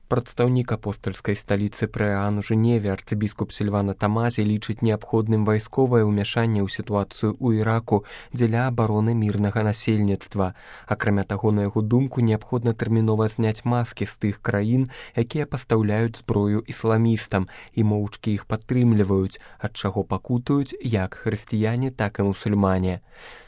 Прадстаўнік апостальскай сталіцы Прыаан у Жэневе арцыбіскуп Сільвана Тамазі лічыць неабходным вайсковае ўмяшанне ў сітуацыю ў Іраку дзеля абароны мірнага насельніцтва. Акрамя таго, на яго думку, неабходна тэрмінова зняць маскі з тых краін, якія пастаўляюць зброю ісламістам і моўчкі іх падтрымліваюць, ад чаго пакутаюць як хрысціяне, так і мусульмане.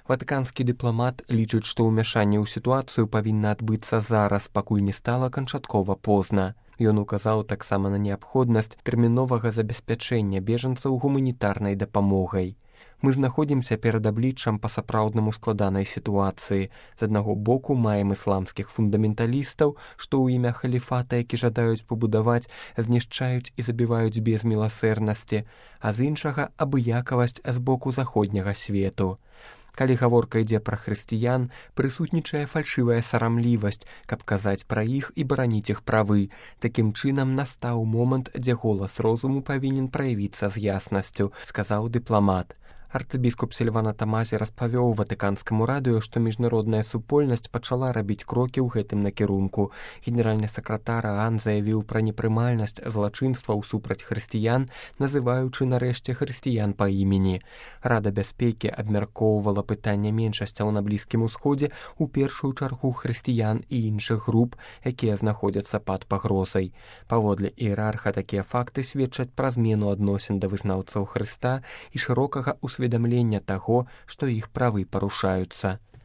Ватыканскі дыпламат лічыць, што ўмяшанне ў сітуацыю павінна адбыцца зараз, пакуль не стала канчаткова позна. Ён указаў таксама на неабходнасць тэрміновага забеспячэння бежанцаў гуманітарнай дапамогай. Мы знаходзімся перад абліччам па-сапраўднаму складанай сітуацыі. З аднаго боку маем ісламскіх фундаменталістаў, што ў імя халіфата, які жадаюць пабудаваць, знішчаюць і забіваюць без міласэрнасці, а з іншага абыякавасць з боку заходняга свету. Калі гаворка ідзе пра хрысціян, прысутнічае фальшывая сарамлівасць, каб казаць пра іх і бараніць іх правы. Такім чынам настаў момант, дзе голас розуму павінен праявіцца з яснасцю, сказаў дыпламат. Арцыбіскуп Сільвана Тамазі распавёў ватыканскаму радыё, што міжнародная супольнасць пачала рабіць крокі ў гэтым накірунку. Генеральны сакратар ААН заявіў пра непрымальнасць злачынстваў супраць хрысціян, называючы нарэшце хрысціян па імені. Рада бяспекі абмяркоўвала пытанне меншасцяў на Блізкім Усходзе, у першую чаргу хрысціян і іншых груп, якія знаходзяцца пад пагрозай. Паводле іерарха такія факты сведчаць пра змену адносін да вызнаўцаў Хрыста і шырокага усведамлення таго, што іх правы парушаюцца.